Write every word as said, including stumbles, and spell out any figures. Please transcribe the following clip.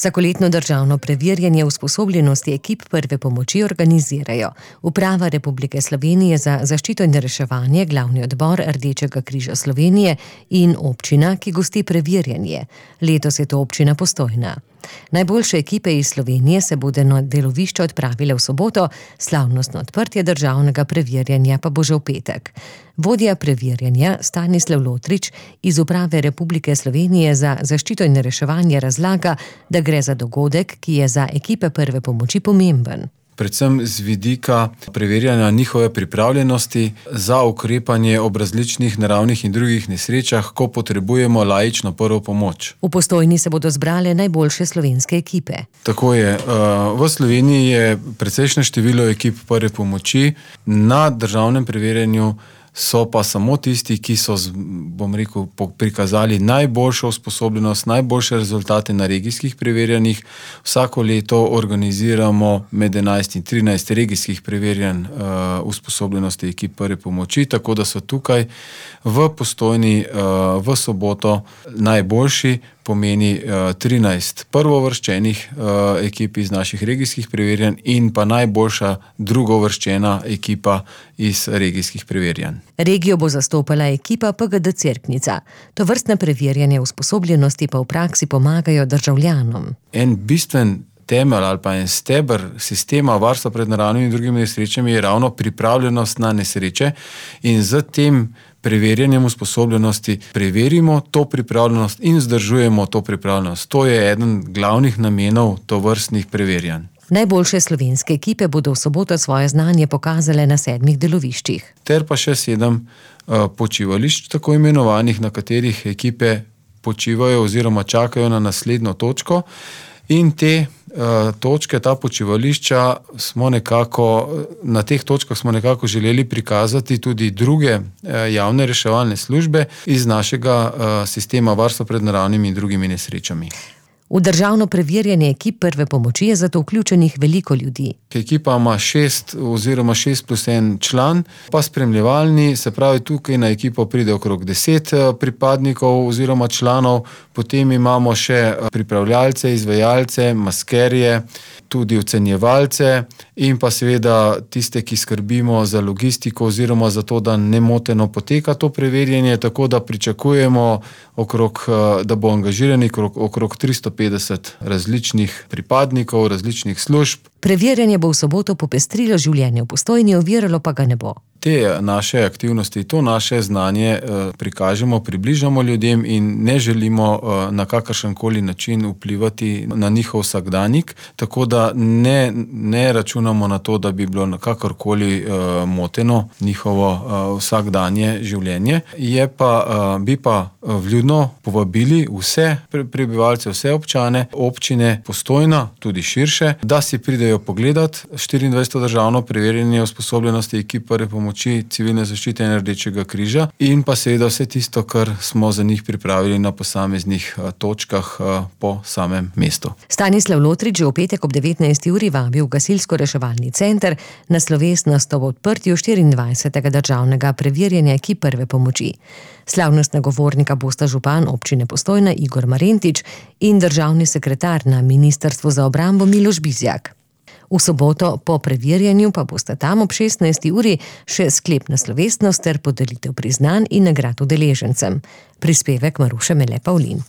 Vsakoletno državno preverjanje usposobljenosti ekip prve pomoči organizirajo Uprava Republike Slovenije za zaščito in reševanje, Glavni odbor Rdečega križa Slovenije in občina, ki gosti preverjanje. Letos je to občina Postojna. Najboljše ekipe iz Slovenije se bodo na delovišče odpravile v soboto, slavnostno odprtje državnega preverjanja pa bo že v petek. Vodja preverjanja Stanislav Lotrič iz Uprave Republike Slovenije za zaščito in reševanje razlaga, da gre za dogodek, ki je za ekipe prve pomoči pomemben. Predvsem z vidika preverjanja njihove pripravljenosti za ukrepanje ob različnih naravnih in drugih nesrečah, ko potrebujemo laično prvo pomoč. V Postojni se bodo zbrale najboljše slovenske ekipe. Tako je. V Sloveniji je precejšnje število ekip prve pomoči, na državnem preverjanju so pa samo tisti, ki so, bom rekel, prikazali najboljšo usposobljenost, najboljše rezultate na regijskih preverjanjih. Vsako leto organiziramo med enajst in trinajst regijskih preverjanj uh, usposobljenosti ekip prve pomoči, tako da so tukaj v Postojni uh, v soboto najboljši, pomeni uh, trinajst prvovrščenih uh, ekip iz naših regijskih preverjanj in pa najboljša drugovrščena ekipa iz regijskih preverjanj. Regijo bo zastopala ekipa P G D Cerknica. Tovrstne preverjanje usposobljenosti pa v praksi pomagajo državljanom. En bistven temelj ali pa en steber sistema varstva pred naravnimi in drugimi nesrečami je ravno pripravljenost na nesreče in z tem preverjanjem usposobljenosti preverimo to pripravljenost in vzdržujemo to pripravljenost. To je eden glavnih namenov tovrstnih preverjanj. Najboljše slovenske ekipe bodo v soboto svoje znanje pokazale na sedmih deloviščih. Ter pa še sedem uh, počivališč, tako imenovanih, na katerih ekipe počivajo oziroma čakajo na naslednjo točko. In te uh, točke, ta počivališča smo nekako, na teh točkah smo nekako želeli prikazati tudi druge uh, javne reševalne službe iz našega uh, sistema varstva pred naravnimi in drugimi nesrečami. V državno preverjanje ekip prve pomoči je zato vključenih veliko ljudi. Ekipa ima šest oziroma šest plus en član, pa spremljevalni, se pravi tukaj na ekipo pride okrog deset pripadnikov oziroma članov, potem imamo še pripravljalce, izvajalce, maskerje, tudi ocenjevalce in pa seveda tiste, ki skrbimo za logistiko oziroma za to, da nemoteno poteka to preverjanje, tako da pričakujemo okrog, da bo angažiranih okrog, okrog tristo petdeset različnih pripadnikov, različnih služb. Preverjanje bo v soboto popestrilo življenje v Postojni, oviralo pa ga ne bo. Te naše aktivnosti, to naše znanje eh, prikažemo, približamo ljudem in ne želimo eh, na kakršenkoli način vplivati na njihov vsakdanjik, tako da ne, ne računamo na to, da bi bilo na kakorkoli eh, moteno njihovo eh, vsakdanje življenje. Je pa, eh, bi pa vljudno povabili vse prebivalce, vse občane, občine Postojna, tudi širše, da si pridejo pogledati štiriindvajseto državno preverjanje usposobljenosti ekip prve pomoči civilne zaščite in Rdečega križa in pa seveda vse tisto, kar smo za njih pripravili na posameznih točkah po samem mestu. Stanislav Lotrič že v petek ob devetnajsti uri vabi v gasilsko-reševalni center na slovesnost ob odprtju štiriindvajsetega državnega preverjanja ekip prve pomoči. Slavnostna govornika bosta župan občine Postojna Igor Marentič in državni sekretar na Ministrstvu za obrambo Miloš Bizjak. V soboto po preverjanju pa bosta tam ob šestnajsti uri še sklepna slovesnost ter podelitev priznanj in nagrad udeležencem. Prispevek Maruše Mele Pavlin.